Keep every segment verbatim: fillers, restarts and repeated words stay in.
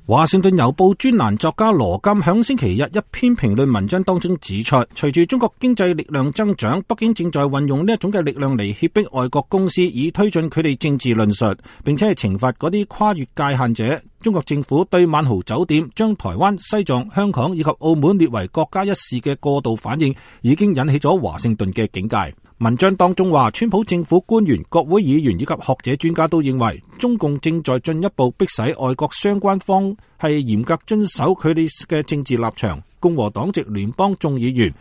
華盛頓郵報專欄作家羅金響星期日一篇評論文章當中指出，隨住中國經濟力量增長，北京正在運用呢一種嘅力量嚟脅迫外國公司，以推進佢哋政治論述，並且係懲罰嗰啲跨越界限者。中國政府對萬豪酒店將台灣、西藏、香港以及澳門列為國家一事嘅過度反應，已經引起咗華盛頓嘅警戒。文章當中話，川普政府官員、國會議員以及學者專家都認為，中共正在進一步迫使外國相關方係嚴格遵守佢哋嘅政治立場。共和黨籍聯邦眾議員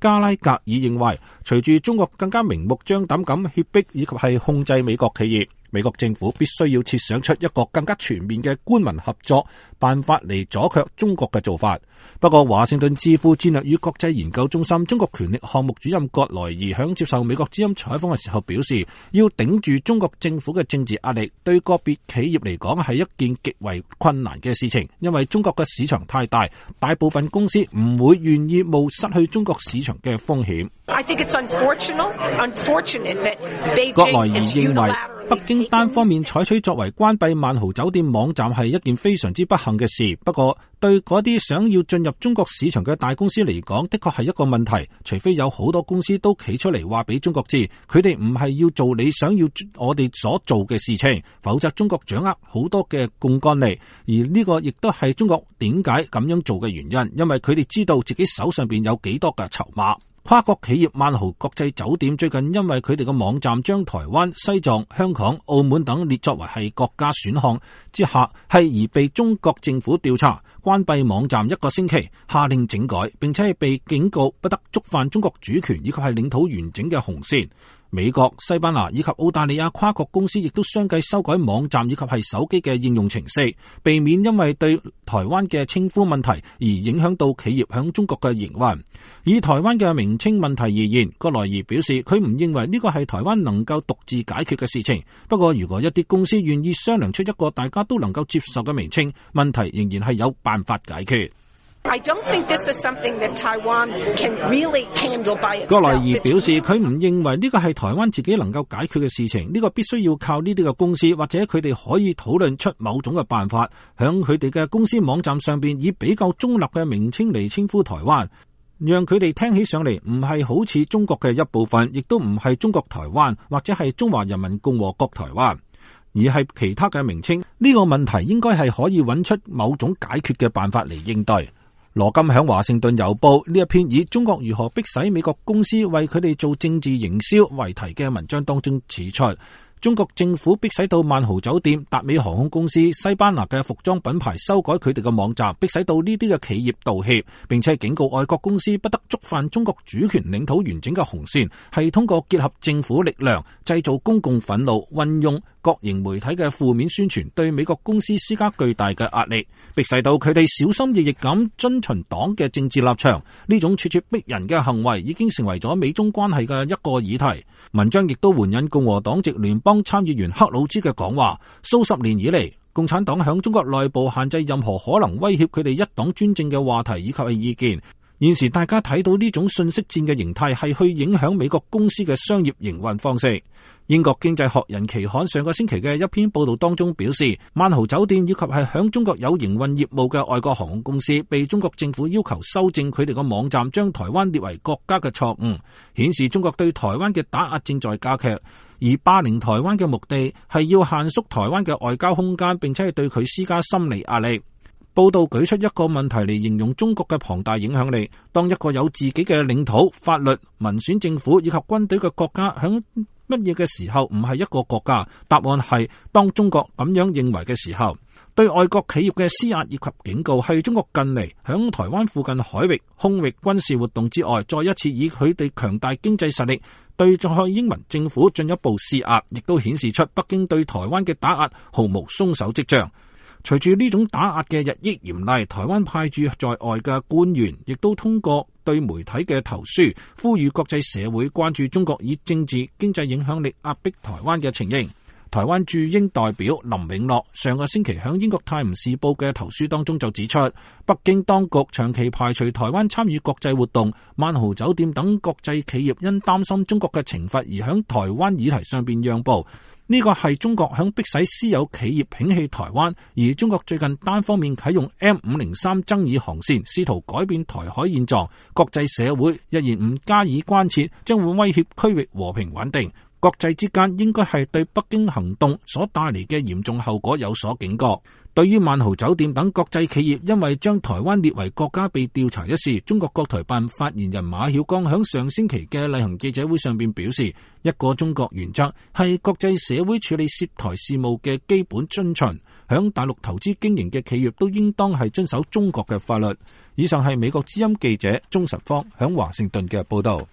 加拉格爾認為，隨住中國更加明目張膽咁脅迫以及係控制美國企業，美國政府必須要設想出一個更加全面嘅官民合作辦法嚟阻卻中國嘅做法。不過，華盛頓智庫戰略與國際研究中心中國權力項目主任葛萊爾響接受美國之音採訪嘅時候表示，要頂住中國政府嘅政治壓力，對個別企業嚟講係一件極為困難嘅事情，因為中國嘅市場太大，大部分公司唔會願意冒失去中國市場嘅風險。I think it's unfortunate, unfortunate that Beijing 葛萊爾認為，北京單方面採取作為關閉萬豪酒店網站係一件非常之不幸嘅事。不過，對嗰啲想要進入中國市場嘅大公司嚟講，的確係一個問題。除非有好多公司都企出嚟話俾中國知，佢哋唔係要做你想要我哋所做嘅事情，否則中國掌握好多嘅槓桿力。而呢個亦都係中國點解咁樣做嘅原因，因為佢哋知道自己手上邊有幾多嘅籌碼。跨國企業萬豪國際酒店最近因為佢哋嘅網站將台灣、西藏、香港、澳門等列作為係國家選項之下，係而被中國政府調查，關閉網站一個星期，下令整改，並且係被警告不得觸犯中國主權以及係領土完整嘅紅線。美國、西班牙以及澳大利亞跨國公司亦都相繼修改網站以及係手機嘅應用程式，避免因為對台灣嘅稱呼問題而影響到企業響中國嘅營運。以台灣嘅名稱問題而言，葛萊爾表示佢唔認為呢個係台灣能夠獨自解決嘅事情。不過如果一啲公司願意商量出一個大家都能夠接受嘅名稱，問題仍然係有辦法解決。I don't think this is something that Taiwan can really handle by itself. 葛萊爾表示，佢唔認為呢個係台灣自己能夠解決嘅事情，呢個必須要靠呢啲嘅公司或者佢哋可以討論出某種嘅辦法，響佢哋嘅公司網站上邊以比較中立嘅名稱嚟稱呼台灣，讓佢哋聽起上嚟唔係好似中國嘅一部分，亦都唔係中國台灣或者係中華人民共和國台灣，而係其他嘅名稱。呢個問題應該係可以揾出某種解決嘅辦法嚟應對。羅金響華盛頓郵報呢一篇以中國如何迫使美國公司為佢哋做政治營銷為題嘅文章當中指出，中國政府迫使到萬豪酒店、達美航空公司、西班牙嘅服裝品牌修改佢哋嘅網站，迫使到呢啲嘅企業道歉，並且警告外國公司不得觸犯中國主權領土完整嘅紅線，係通過結合政府力量，製造公共憤怒，運用各型媒體嘅負面宣傳，對美國公司施加巨大嘅壓力，迫使到佢哋小心翼翼咁遵循黨嘅政治立場。呢種咄咄逼人嘅行為已經成為咗美中關係嘅一個議題。文章亦都援引共和黨籍聯邦參議員克魯茲嘅講話，數十年以嚟，共產黨響中國內部限制任何可能威脅佢哋一黨專政嘅話題以及係意見。現時大家睇到呢種信息戰嘅形態係去影響美國公司嘅商業營運方式。英國經濟學人期刊上個星期嘅一篇報道當中表示，萬豪酒店以及係響中國有營運業務嘅外國航空公司被中國政府要求修正佢哋個網站，將台灣列為國家嘅錯誤，顯示中國對台灣嘅打壓正在加劇。而霸凌台灣嘅目的係要限縮台灣嘅外交空間，並且係對佢施加心理壓力。報道舉出一個問題嚟形容中國嘅龐大影響力。當一個有自己嘅領土、法律、民選政府以及軍隊嘅國家響乜嘢嘅時候唔係一個國家？答案係當中國咁樣認為嘅時候。對外國企業嘅施壓以及警告係中國近嚟響台灣附近海域、空域軍事活動之外，再一次以佢哋強大經濟實力對蔡英文政府進一步施壓，亦都顯示出北京對台灣嘅打壓毫無鬆手跡象。隨住呢種打壓嘅日益嚴厲，台灣派駐在外嘅官員亦都通過對媒體嘅投書，呼籲國際社會關注中國以政治經濟影響力壓迫台灣嘅情形。台灣駐英代表林永樂上個星期響英國泰晤士報嘅投書當中就指出，北京當局長期排除台灣參與國際活動，萬豪酒店等國際企業因擔心中國嘅懲罰而響台灣議題上邊讓步。呢個係中國響迫使私有企業摒棄台灣，而中國最近單方面啟用 M 五零三爭議航線，試圖改變台海現狀。國際社會一言唔加以關切，將會威脅區域和平穩定。國際之間應該係對北京行動所帶嚟嘅嚴重後果有所警覺。對於萬豪酒店等國際企業因為將台灣列為國家被調查一事，中國國台辦發言人馬曉光響上星期嘅例行記者會上邊表示，一個中國原則係國際社會處理涉台事務嘅基本遵循，響大陸投資經營嘅企業都應當係遵守中國嘅法律。以上係美國之音記者鍾實芳響華盛頓嘅報道。